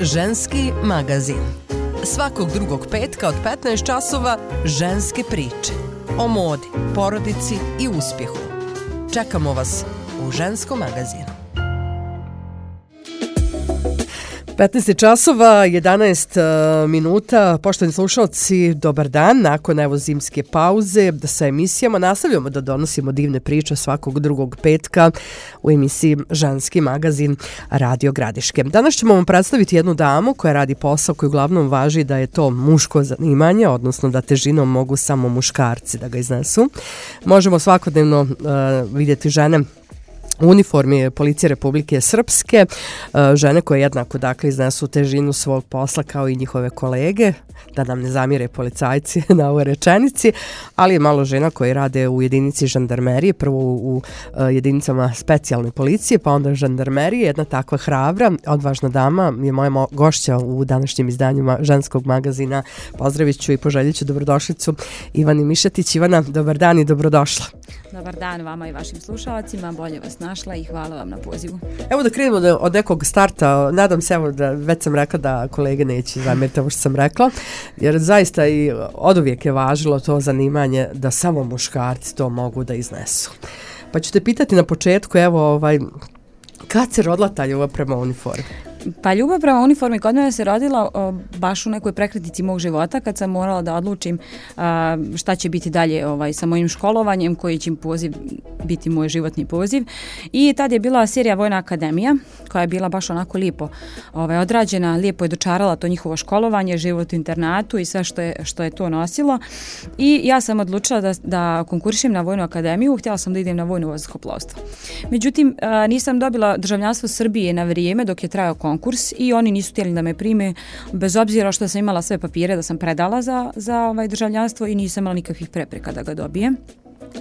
Ženski magazin. Svakog drugog petka od 15 časova ženske priče. O modi, porodici i uspjehu. Čekamo vas u Ženskom magazinu. 15 časova, 11 minuta. Poštovani slušalci, dobar dan. Nakon evo zimske pauze sa emisijama nastavljamo da donosimo divne priče svakog drugog petka u emisiji Ženski magazin Radio Gradiške. Danas ćemo vam predstaviti jednu damu koja radi posao koji uglavnom važi da je to muško zanimanje, odnosno da težinom mogu samo muškarci da ga iznesu. Možemo svakodnevno vidjeti žene u uniformi Policije Republike Srpske, žene koje jednako dakle iznesu težinu svog posla kao i njihove kolege, da nam ne zamire policajci na ovoj rečenici, ali je malo žena koje rade u jedinici žandarmerije, prvo u jedinicama specijalne policije, pa onda žandarmerije. Jedna takva hrabra, odvažna dama je moja gošća u današnjim izdanjima Ženskog magazina. Pozdravit ću i poželjet ću dobrodošlicu Ivani Mišetić. Ivana, dobar dan i dobrodošla. Dobar dan vama i vašim slušalcima, bolje vas našla i hvala vam na pozivu. Evo da krenemo od nekog starta, nadam se evo da već sam rekla da kolege neće zamjeriti ovo što sam rekla, jer zaista i oduvijek je važilo to zanimanje da samo muškarci to mogu da iznesu. Pa ću te pitati na početku, evo kad se rodila ta ljubav prema uniformi? Pa ljubav prema uniformi kod mene se rodila baš u nekoj prekretnici mog života kad sam morala da odlučim šta će biti dalje sa mojim školovanjem, koji će poziv biti moj životni poziv. I tad je bila serija Vojna akademija koja je bila baš onako lijepo odrađena, lijepo je dočarala to njihovo školovanje, život u internatu i sve što je to nosilo. I ja sam odlučila da konkurišem na Vojnu akademiju, htjela sam da idem na vojno vazduhoplovstvo. Međutim, nisam dobila državljanstvo Srbije na vrijeme dok je trajao konkurs i oni nisu htjeli da me prime, bez obzira što sam imala sve papire da sam predala za državljanstvo i nisam imala nikakvih prepreka da ga dobijem.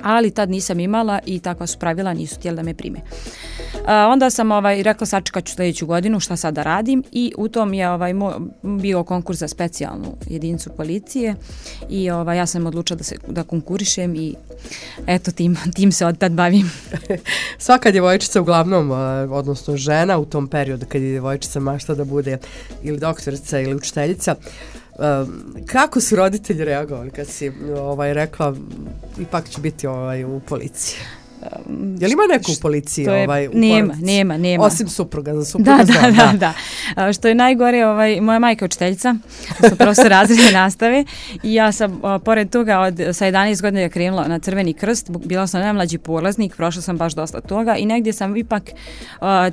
Ali tad nisam imala i takva su pravila, nisu htjeli da me prime. Onda sam rekla sačekat ću sljedeću godinu šta sad da radim i u tom je bio konkurs za specijalnu jedinicu policije i ja sam odlučila da konkurišem i eto tim se od tad bavim. Svaka djevojčica uglavnom, odnosno žena u tom periodu kad je djevojčica mašta da bude ili doktorica ili učiteljica, kako su roditelji reagovali kad si rekla ipak ću biti u policiji? Je li ima neko u policiji? Nema. Osim supruga, za supruga Da. Što je najgore, moja majka je učiteljica, profesor razredne nastave i ja sam pored toga sa 11 godina je krenula na Crveni krst, bila sam najmlađi polaznik, prošla sam baš dosta toga i negdje sam ipak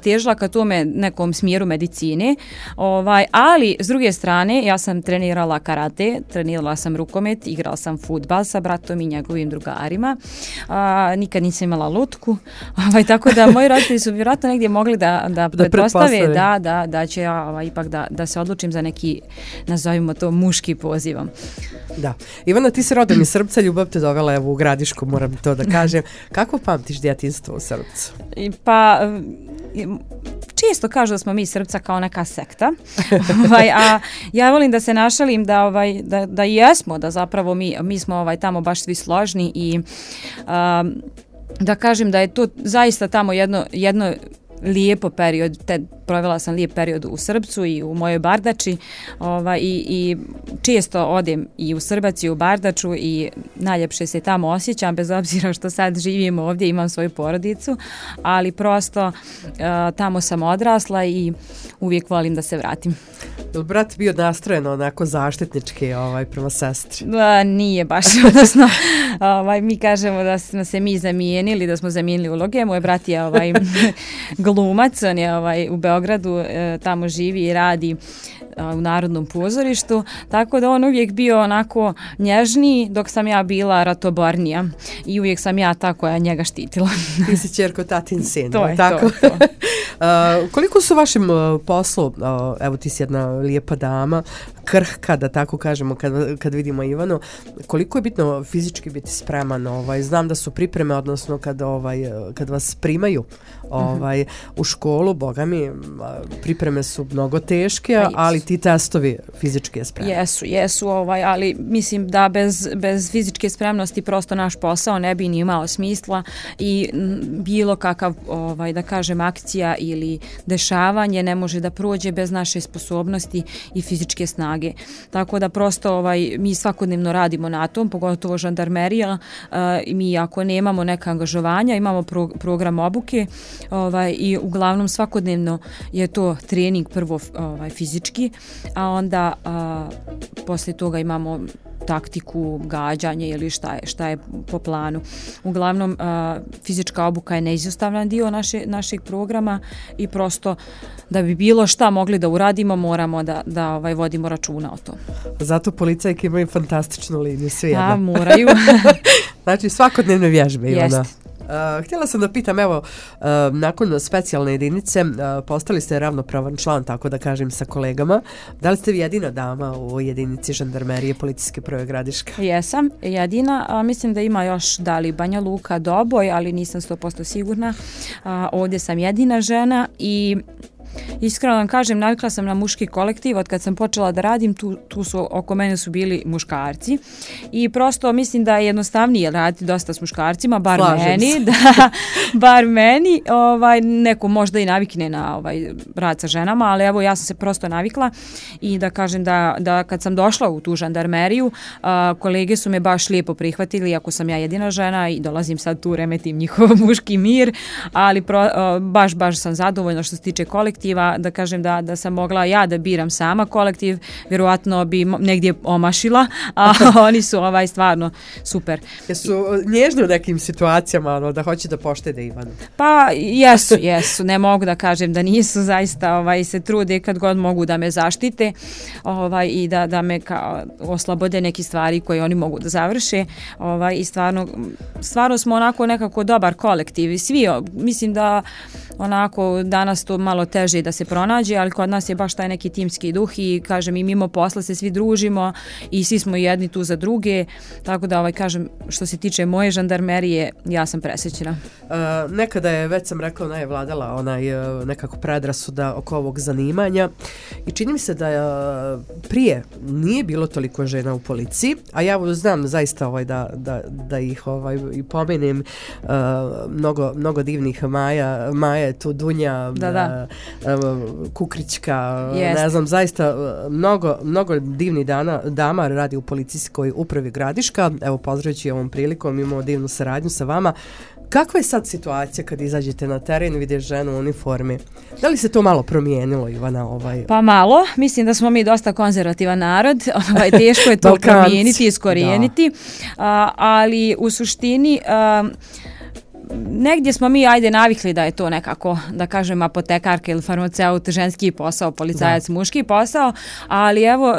težila ka tome nekom smjeru medicine, ali s druge strane ja sam trenirala karate, trenirala sam rukomet, igrala sam fudbal sa bratom i njegovim drugarima, nikad nisam imala lutku, tako da moji roditelji su vjerojatno negdje mogli da pretpostave da će ja ipak da se odlučim za neki, nazovimo to, muški pozivom. Da. Ivana, ti si rodom iz Srpca, ljubav te dovela u Gradišku, moram to da kažem. Kako pamtiš djetinjstvo u Srpcu? Pa često kažu da smo mi Srpca kao neka sekta, a ja volim da se našalim da jesmo, da zapravo mi smo tamo baš svi složni i da kažem da je to zaista tamo jedno lijepo period, provela sam lijep period u Srpcu i u mojoj Bardači i često odem i u Srbac i u Bardaču i najljepše se tamo osjećam, bez obzira što sad živim ovdje, imam svoju porodicu, ali prosto tamo sam odrasla i uvijek volim da se vratim. Je li brat bio nastrojen onako zaštitnički prema sestri? Nije baš, odnosno mi kažemo da smo se mi zamijenili, da smo zamijenili uloge. Moj brat je glumac, on je u Beogradu, tamo živi i radi u Narodnom pozorištu, tako da on uvijek bio onako nježniji dok sam ja bila ratobornija i uvijek sam ja ta koja njega štitila. Ti si ćerko tatin sin, to je tako? To. Koliko su vašim poslu, evo ti si jedna lijepa dama, krhka, da tako kažemo, kad vidimo Ivanu, koliko je bitno fizički biti spreman? Znam da su pripreme, odnosno kad vas primaju u školu, boga mi, pripreme su mnogo teške, ali ti testovi fizičke spremnosti. Jesu, ali mislim da bez fizičke spremnosti prosto naš posao ne bi ni imao smisla i bilo kakav, da kažem, akcija ili dešavanje ne može da prođe bez naše sposobnosti i fizičke snage. Tako da prosto mi svakodnevno radimo na tom, pogotovo žandarmerija. Mi ako nemamo neka angažovanja, imamo program obuke i uglavnom svakodnevno je to trening prvo fizički, a onda poslije toga imamo taktiku, gađanje ili šta je po planu. Uglavnom, fizička obuka je neizostavan dio našeg programa i prosto da bi bilo šta mogli da uradimo, moramo da vodimo računa o tom. Zato policajke imaju fantastičnu liniju, svi jedna. Moraju. Znači, svakodnevne vježbe, Ivana. Jeste. Htjela sam da pitam, evo, nakon specijalne jedinice postali ste ravnopravan član, tako da kažem, sa kolegama. Da li ste vi jedina dama u jedinici žandarmerije Policijske uprave Gradiška? Jesam, jedina. Mislim da ima još Banja Luka, Doboj, ali nisam 100% sigurna. Ovdje sam jedina žena i iskreno vam kažem, navikla sam na muški kolektiv. Od kad sam počela da radim, tu su oko mene su bili muškarci i prosto mislim da je jednostavnije raditi dosta s muškarcima, bar meni. Neko možda i navikne na rad sa ženama, ali evo ja sam se prosto navikla i da kažem da kad sam došla u tu žandarmeriju, kolege su me baš lijepo prihvatili, ako sam ja jedina žena i dolazim sad tu, remetim njihov muški mir, ali baš sam zadovoljna što se tiče kolektiva. Da kažem da sam mogla ja da biram sama kolektiv, vjerojatno bi negdje omašila, a oni su stvarno super. Jesu nježni u nekim situacijama da hoće da poštede Ivanu? Pa jesu, ne mogu da kažem da nisu, zaista se trude kad god mogu da me zaštite i da me oslobode neke stvari koje oni mogu da završe i stvarno smo onako nekako dobar kolektiv i svi, mislim da onako danas to malo teže da se pronađe, ali kod nas je baš taj neki timski duh i kažem i mimo posla se svi družimo i svi smo jedni tu za druge, tako da kažem što se tiče moje žandarmerije, ja sam presrećena. Nekada je, već sam rekla, je vladala nekako predrasuda oko ovog zanimanja i čini mi se da prije nije bilo toliko žena u policiji, a ja znam zaista da ih i pomenem, mnogo divnih Maja je tu, Dunja, Kukrićka, ne znam, zaista mnogo divnih dama radi u Policijskoj upravi Gradiška. Evo, pozdravljajući ovom prilikom, imamo divnu saradnju sa vama. Kakva je sad situacija kad izađete na teren i vidješ ženu u uniformi? Da li se to malo promijenilo, Ivana? Pa malo. Mislim da smo mi dosta konzervativan narod. Teško je to promijeniti, iskorijeniti. Ali u suštini negdje smo mi navikli da je to nekako, da kažem, apotekarka ili farmaceut ženski posao, policajac muški posao, ali evo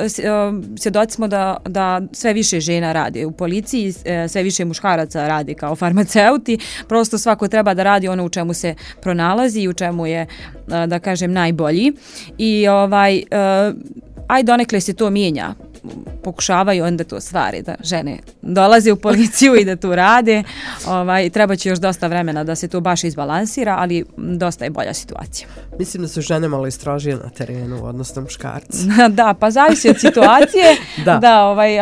svjedoci smo da sve više žena radi u policiji, sve više muškaraca radi kao farmaceuti, prosto svako treba da radi ono u čemu se pronalazi i u čemu je, da kažem, najbolji i donekle se to mijenja. Pokušavaju onda to stvari da žene dolaze u policiju i da tu rade. Treba će još dosta vremena da se to baš izbalansira, ali dosta je bolja situacija. Mislim da su žene malo istrožije na terenu, odnosno muškarci. Da, pa zavisi od situacije.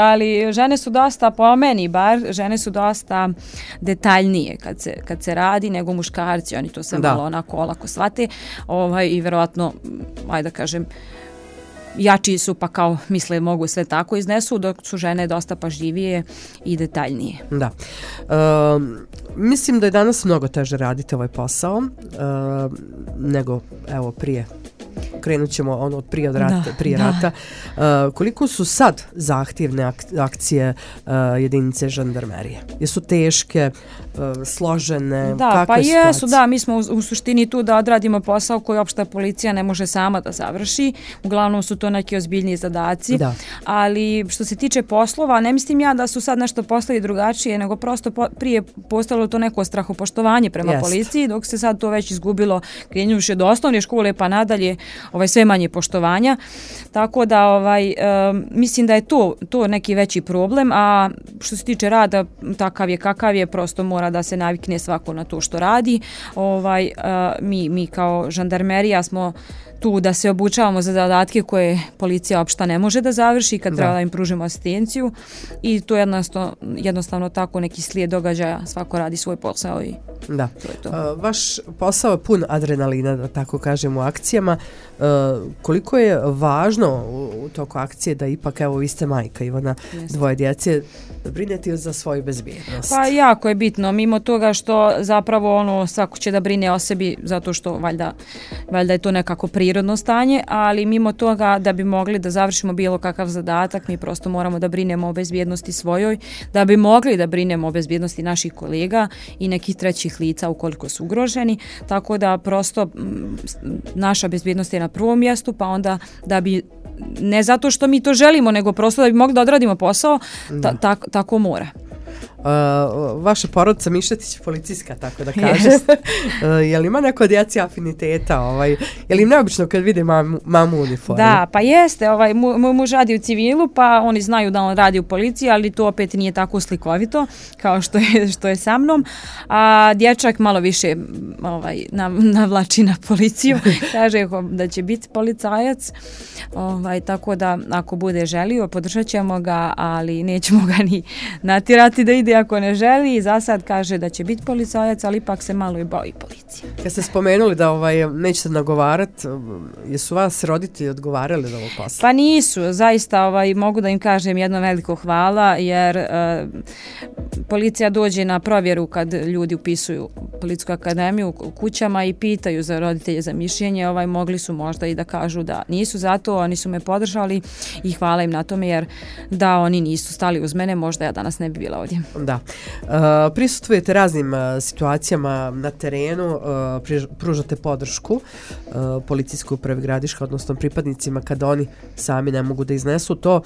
Ali žene su dosta, po meni bar, žene su dosta detaljnije kad se radi nego muškarci. Oni to sve malo onako olako shvate i vjerojatno, da kažem, jači su pa kao misle mogu sve tako iznesu, dok su žene dosta pažljivije i detaljnije. Da. Mislim da je danas mnogo teže raditi ovaj posao nego prije. Krenut ćemo od prije rata. Koliko su sad zahtjevne akcije jedinice žandarmerije? Jesu teške, složene? Da, pa jesu, da. Mi smo u suštini tu da odradimo posao koji opšta policija ne može sama da završi. Uglavnom su to neki ozbiljniji zadaci. Da. Ali što se tiče poslova, ne mislim ja da su sad nešto poslovi drugačije, nego prosto prije postalo to neko strahopoštovanje prema policiji, dok se sad to već izgubilo krenjuši od osnovne škole pa nadalje sve manje poštovanja, tako da mislim da je to neki veći problem, a što se tiče rada takav je kakav je, prosto mora da se navikne svako na to što radi. Mi kao žandarmerija smo tu da se obučavamo za zadatke koje policija opšta ne može da završi kad treba da im pružimo asistenciju i to je jednostavno tako neki slijed događaja, svako radi svoj posao i da. To je to. Vaš posao je pun adrenalina, da tako kažem, u akcijama. Koliko je važno u toku akcije da ipak, evo, vi ste majka, Ivana, dvoje djece, brinete za svoju bezbjednost? Pa jako je bitno, mimo toga što zapravo svako će da brine o sebi zato što valjda je to nekako prirodno stanje, ali mimo toga da bi mogli da završimo bilo kakav zadatak, mi prosto moramo da brinemo o bezbjednosti svojoj, da bi mogli da brinemo o bezbjednosti naših kolega i nekih trećih lica ukoliko su ugroženi, tako da prosto naša bezbjednost je na prvom mjestu, pa onda da bi, ne zato što mi to želimo, nego prosto da bi mogli da odradimo posao, tako mora. Vaša porodica Mišetić je policijska, tako da kažem. Je li ima neko djeci afiniteta? Je li im neobično kad vide mamu u uniformi? Da, pa jeste. Moj muž radi u civilu, pa oni znaju da on radi u policiji, ali to opet nije tako slikovito kao što je sa mnom. A dječak malo više navlači na policiju. Kaže da će biti policajac. Tako da ako bude želio, podržat ćemo ga, ali nećemo ga ni natjerati da ide ako ne želi, i za sad kaže da će biti policajac, ali ipak se malo i boji policije. Kad ste spomenuli da nećete nagovarati, jesu vas roditelji odgovarali za ovo posla? Pa nisu, zaista mogu da im kažem jedno veliko hvala, jer policija dođe na provjeru kad ljudi upisuju Policijsku akademiju u kućama i pitaju za roditelje za mišljenje, mogli su možda i da kažu da nisu za to, oni su me podržali i hvala im na tome, jer da oni nisu stali uz mene, možda ja danas ne bi bila ovdje. Da. Prisustvujete raznim situacijama na terenu, pružate podršku policijskoj upravi Gradiška, odnosno pripadnicima kada oni sami ne mogu da iznesu to.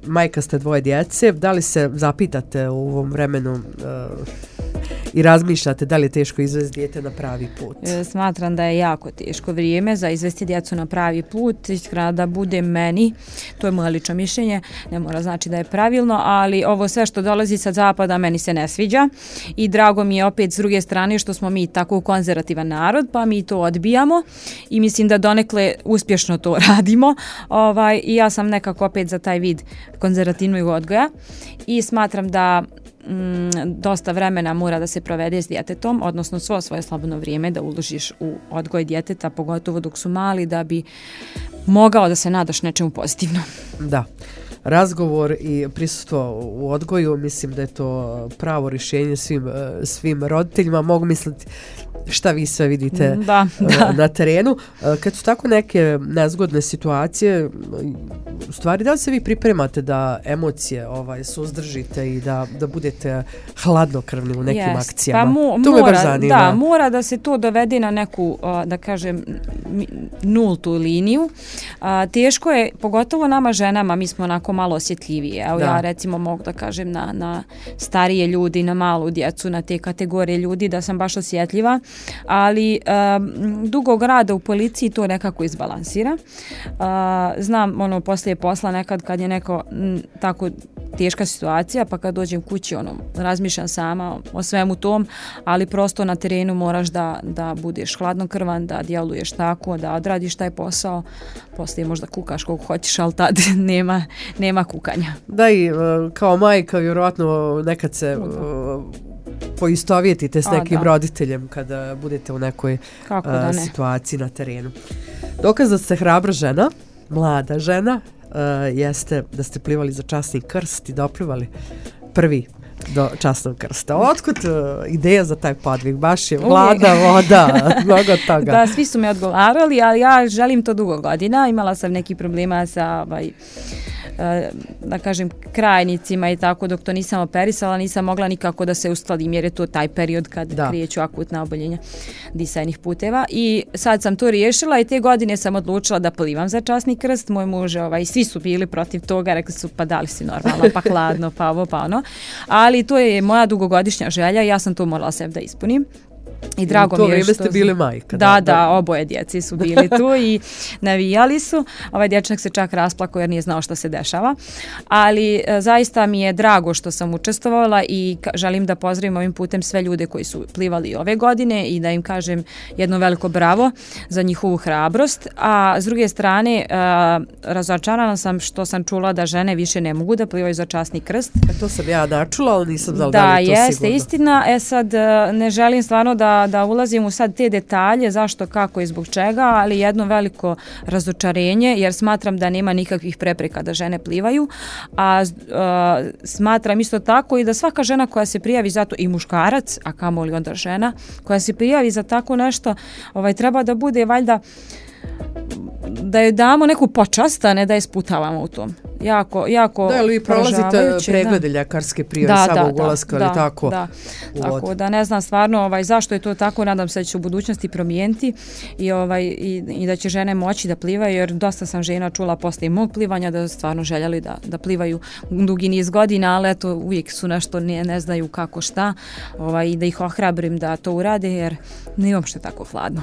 Majka ste dvoje djece, da li se zapitate u ovom vremenu i razmišljate da li je teško izvesti dijete na pravi put? Smatram da je jako teško vrijeme za izvesti djecu na pravi put, iskreno da bude meni, to je moje lično mišljenje, ne mora znači da je pravilno, ali ovo sve što dolazi sa zapada meni se ne sviđa i drago mi je opet s druge strane što smo mi tako konzervativan narod, pa mi to odbijamo i mislim da donekle uspješno to radimo i ja sam nekako opet za taj vid konzervativnog odgoja i smatram da dosta vremena mora da se provede s djetetom, odnosno svo svoje slobodno vrijeme da uložiš u odgoj djeteta, pogotovo dok su mali, da bi mogao da se nadaš nečemu pozitivno. Da. Razgovor i prisustvo u odgoju, mislim da je to pravo rješenje svim roditeljima. Mogu misliti šta vi sve vidite na terenu. Kad su tako neke nezgodne situacije, u stvari da li se vi pripremate da emocije suzdržite i da budete hladnokrvni u nekim akcijama? Pa to me baš zanima. Da, mora da se to dovede na neku, da kažem, nultu liniju. Teško je, pogotovo nama ženama, mi smo onako malo osjetljivije. Evo ja recimo mogu da kažem na starije ljudi, na malu djecu, na te kategorije ljudi da sam baš osjetljiva, ali dugog rada u policiji to nekako izbalansira. Znam poslije posla nekad kad je neko tako teška situacija, pa kad dođem kući razmišljam sama o svemu tom, ali prosto na terenu moraš da budeš hladnokrvan, da djeluješ tako, da odradiš taj posao, poslije možda kukaš koliko hoćeš, ali tad nema kukanja. Da, i kao majka vjerojatno nekad se poistovjetite s nekim roditeljem kada budete u nekoj situaciji na terenu. Dokaz da ste hrabra žena, mlada žena, jeste da ste plivali za časni krst i doplivali prvi do časnog krsta. Otkud ideja za taj podvig? Baš je vlada, voda, mnogo toga. Da, svi su me odgovarali, ali ja želim to dugo godina. Imala sam neki problema sa da kažem krajnicima i tako, dok to nisam operisala, nisam mogla nikako da se uskladim, jer je to taj period kad kreću akutna oboljenja disajnih puteva i sad sam to riješila i te godine sam odlučila da plivam za časni krst. Moj muž svi su bili protiv toga, rekli su pa da li si normalno, pa hladno, pa ovo, pa ono, ali to je moja dugogodišnja želja i ja sam to morala sebi da ispunim. I drago mi je što... ste bili majka. Da, oboje djeci su bili tu i navijali su. Ovaj dječak se čak rasplakao jer nije znao što se dešava. Ali zaista mi je drago što sam učestvovala i želim da pozdravim ovim putem sve ljude koji su plivali ove godine i da im kažem jedno veliko bravo za njihovu hrabrost. A s druge strane, razočarana sam što sam čula da žene više ne mogu da plivaju za časni krst. To sam ja načula, ali nisam znala da li to jeste sigurno. Istina. Sad ne želim stvarno da ulazim u sad te detalje, zašto, kako i zbog čega, ali jedno veliko razočarenje, jer smatram da nema nikakvih prepreka da žene plivaju, a smatram isto tako i da svaka žena koja se prijavi za to, i muškarac, a kamoli onda žena, koja se prijavi za tako nešto, treba da bude valjda da joj damo neku počast, a ne da je sputavamo u tom. Jako da, ali vi prolazite preglede ljekarske prije samog ulaska, ali tako? Da, tako da ne znam stvarno zašto je to tako, nadam se da će u budućnosti promijeniti i da će žene moći da plivaju, jer dosta sam žena čula posle mog plivanja da stvarno željeli da plivaju dugi niz godina, ali eto uvijek su nešto ne znaju kako šta i da ih ohrabrim da to urade, jer nije uopšte tako hladno.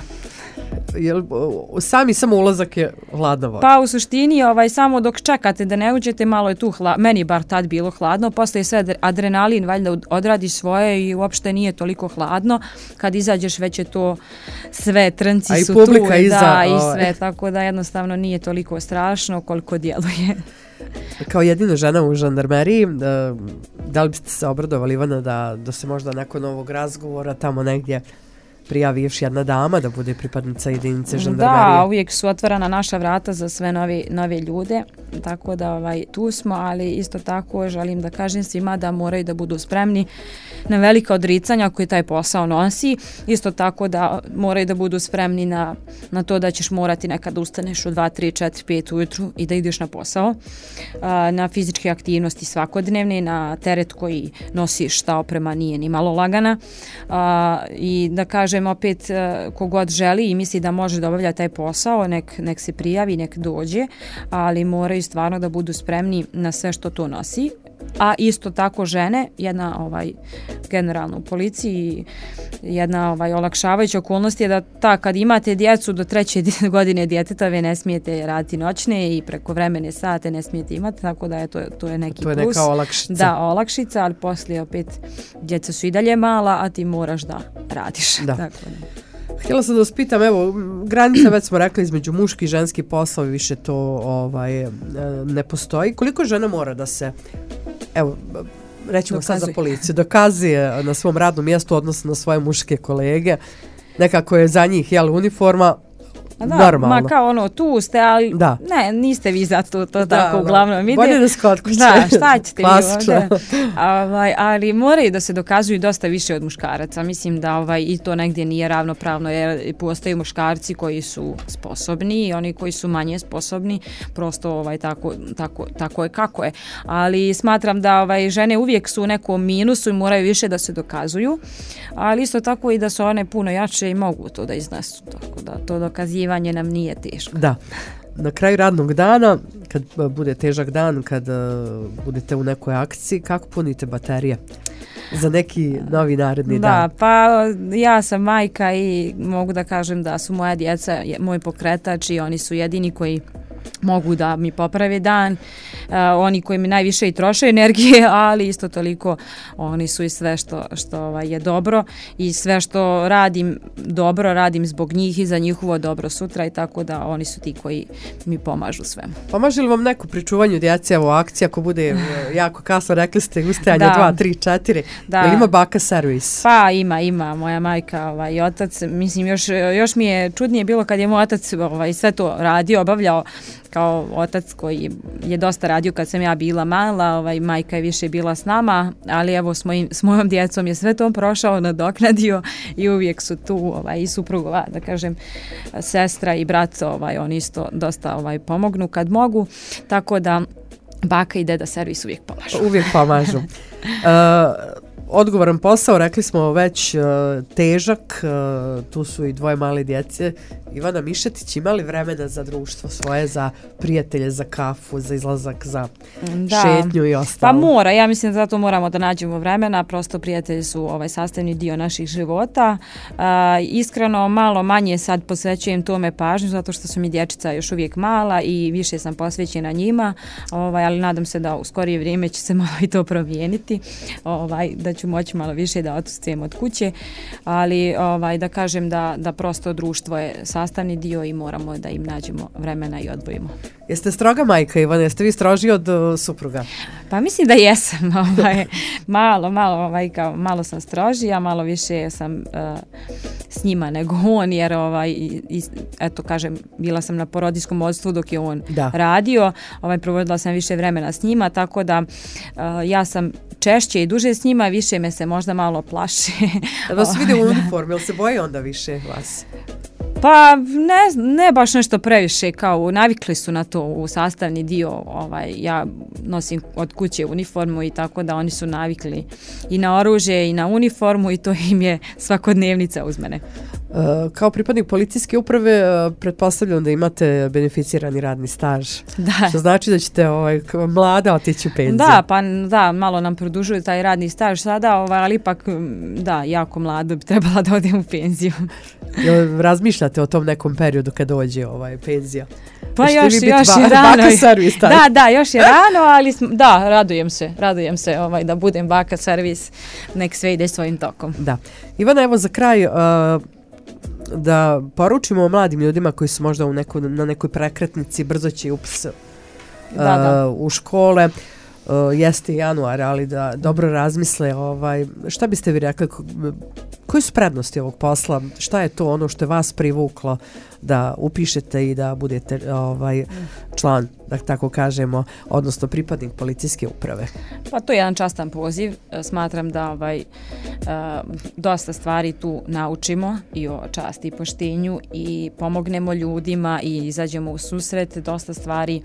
Samo ulazak je hladna voda? Pa u suštini samo dok čekate da ne uđete, malo je tu meni bar tad bilo hladno, posle sve adrenalin valjda odradi svoje i uopšte nije toliko hladno, kad izađeš već je to sve, trnci su tu i sve, tako da jednostavno nije toliko strašno koliko djeluje. Kao jedina žena u žandarmeriji, da li biste se obradovali, Ivana, da se možda nakon ovog razgovora tamo negdje prijavi još jedna dama da bude pripadnica jedinice žandarmerije? Da, uvijek su otvorena naša vrata za sve nove ljude, tako da tu smo, ali isto tako želim da kažem svima da moraju da budu spremni na velika odricanja koje taj posao nosi, isto tako da moraju da budu spremni na to da ćeš morati nekad ustaneš u 2, 3, 4, 5 ujutru i da ideš na posao, na fizičke aktivnosti svakodnevne, na teret koji nosiš, ta oprema nije ni malo lagana, i da kažem opet, kogod želi i misli da može da obavlja taj posao, nek se prijavi, nek dođe, ali moraju stvarno da budu spremni na sve što to nosi. A isto tako žene, jedna generalno u policiji, jedna olakšavajuća okolnost je da kad imate djecu do 3. godine djeteta, vi ne smijete raditi noćne i prekovremene sate ne smijete imati, tako da to je neki plus. To je neka olakšica. Da, olakšica, ali poslije opet djeca su i dalje mala, a ti moraš da radiš. Da. Tako. Htjela sam da vas pitam, evo, granica već smo rekli između muški i ženski poslovi, više to ne postoji. Koliko žena mora da se, evo, rećemo sad za policiju, dokazuje na svom radnom mjestu odnosno na svoje muške kolege, nekako je za njih uniforma, normalno. Ma kao tu ste, ali ne, niste vi za to tako uglavnom ide. Bolje da se kod kuće. Da, šta ćete vi ovdje? Ali moraju da se dokazuju dosta više od muškaraca. Mislim da i to negdje nije ravnopravno, jer postaju muškarci koji su sposobni i oni koji su manje sposobni, prosto tako je kako je. Ali smatram da žene uvijek su u nekom minusu i moraju više da se dokazuju, ali isto tako i da su one puno jače i mogu to da iznesu, tako da to dokazivanje nam nije teško. Da. Na kraju radnog dana, kad bude težak dan, kad budete u nekoj akciji, kako punite baterije za neki novi naredni dan? Da, pa ja sam majka i mogu da kažem da su moja djeca moj pokretač i oni su jedini koji mogu da mi poprave dan, oni koji mi najviše i troše energije, ali isto toliko oni su i sve što je dobro i sve što radim dobro, radim zbog njih i za njihovo dobro sutra i tako da oni su ti koji mi pomažu svemu. Pomaže li vam neko pri čuvanju djece, evo akcija, ako bude jako kasno, rekli ste ustajanje 2, 3, 4, ili ima baka servis? Pa ima, moja majka i otac, mislim još mi je čudnije bilo kad je moj otac sve to radio, obavljao kao otac koji je dosta radio kad sam ja bila mala, majka je više bila s nama, ali evo s mojom djecom je sve to prošao, nadoknadio i uvijek su tu i suprugova, da kažem, sestra i brat, oni isto dosta pomognu kad mogu, tako da baka i deda servis uvijek pomažu. Uvijek pomažu. odgovoran posao, rekli smo već težak, tu su i dvoje male djece. Ivana Mišetić, ima li vremena za društvo svoje, za prijatelje, za kafu, za izlazak, za šetnju i ostalo? Pa mora, ja mislim da zato moramo da nađemo vremena, prosto prijatelji su sastavni dio naših života. Iskreno, malo manje sad posvećujem tome pažnju, zato što su mi dječica još uvijek mala i više sam posvećena njima, ali nadam se da u skorije vrijeme će se malo i to promijeniti, da ću moći malo više da odsustujem od kuće, ali da kažem da prosto društvo je sastavni dio i moramo da im nađemo vremena i odvojimo. Jeste stroga majka, Ivana? Jeste vi stroži od supruga? Pa mislim da jesam. Malo sam strožija, malo više sam s njima nego on, jer eto kažem, bila sam na porodiljskom odstvu dok je on radio, provodila sam više vremena s njima, tako da ja sam češće i duže s njima, više me se možda malo plaše. Da vas vide u uniformi, ili se boje onda više vas? Pa ne baš nešto previše, kao navikli su na to u sastavni dio, ja nosim od kuće uniformu i tako da oni su navikli i na oružje i na uniformu i to im je svakodnevnica uz mene. Kao pripadnik policijske uprave pretpostavljam da imate beneficirani radni staž. Da. Što znači da ćete mlada otići u penziju. Da, malo nam produžuju taj radni staž sada, ali ipak jako mlado bi trebala da odem u penziju. Razmišljate o tom nekom periodu kad dođe penzija? Pa još je rano. Baka servis. Da, još je rano, ali radujem se da budem baka servis, nek sve ide svojim tokom. Da. Ivana, evo za kraj da poručimo mladim ljudima koji su možda na nekoj prekretnici, brzo će upis u škole. Jeste januar, ali da dobro razmisle šta biste vi rekli, koje su prednosti ovog posla, šta je to ono što je vas privuklo da upišete i da budete član, da tako kažemo, odnosno pripadnik policijske uprave? Pa to je jedan častan poziv, smatram da dosta stvari tu naučimo i o časti i poštenju i pomognemo ljudima i izađemo u susret, dosta stvari,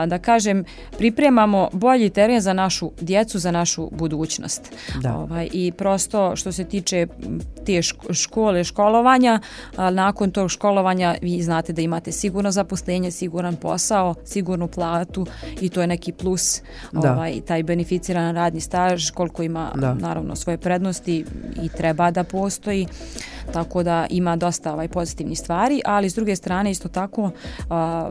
da kažem, pripremamo bolji teren za našu djecu, za našu budućnost. I prosto što se tiče te školovanja, nakon tog školovanja vi znate da imate sigurno zaposlenje, siguran posao, sigurnu platu i to je neki plus, taj beneficiran radni staž, koliko ima naravno svoje prednosti i treba da postoji, tako da ima dosta pozitivnih stvari, ali s druge strane isto tako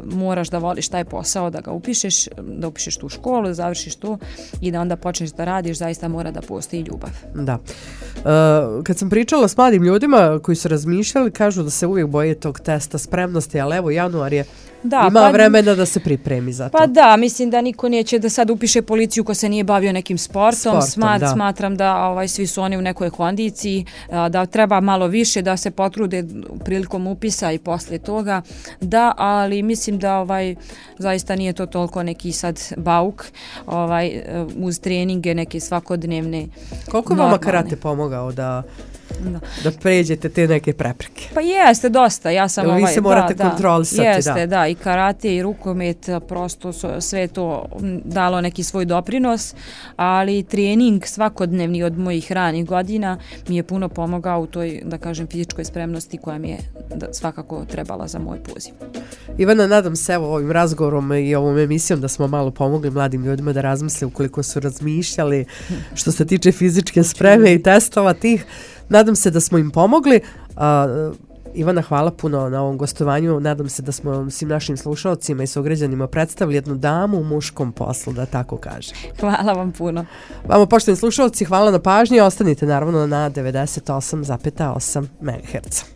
moraš da voliš taj posao, da ga upišeš, da upišeš tu školu, da završiš to i da onda počneš da radiš, zaista mora da postoji ljubav. Da. Kad sam pričala s mladim ljudima koji su razmišljali, kažu da se uvijek boje tog testa spremnosti, ali evo januar je, ima vremena da se pripremi za to. Pa da, mislim da niko neće da sad upiše policiju ko se nije bavio nekim sportom. Smatram da svi su oni u nekoj kondiciji, da treba malo više da se potrude prilikom upisa i poslije toga. Da, ali mislim da zaista nije to toliko neki sad bauk uz treninge neke svakodnevne. Koliko je vama karate pomogao da pređete te neke prepreke? Pa jeste dosta. Ja sam vi se morate kontrolisati. Jeste, da, i karate i rukomet, prosto sve to dalo neki svoj doprinos, ali trening svakodnevni od mojih ranih godina mi je puno pomogao u toj, da kažem, fizičkoj spremnosti koja mi je svakako trebala za moj poziv. Ivana, nadam se ovim razgovorom i ovom emisijom da smo malo pomogli mladim ljudima da razmisle ukoliko su razmišljali što se tiče fizičke spreme i testova tih. Nadam se da smo im pomogli. Ivana, hvala puno na ovom gostovanju. Nadam se da smo svim našim slušalcima i sugrađanima predstavili jednu damu u muškom poslu, da tako kažem. Hvala vam puno. Vama, poštovani slušalci, hvala na pažnji. Ostanite naravno na 98,8 MHz.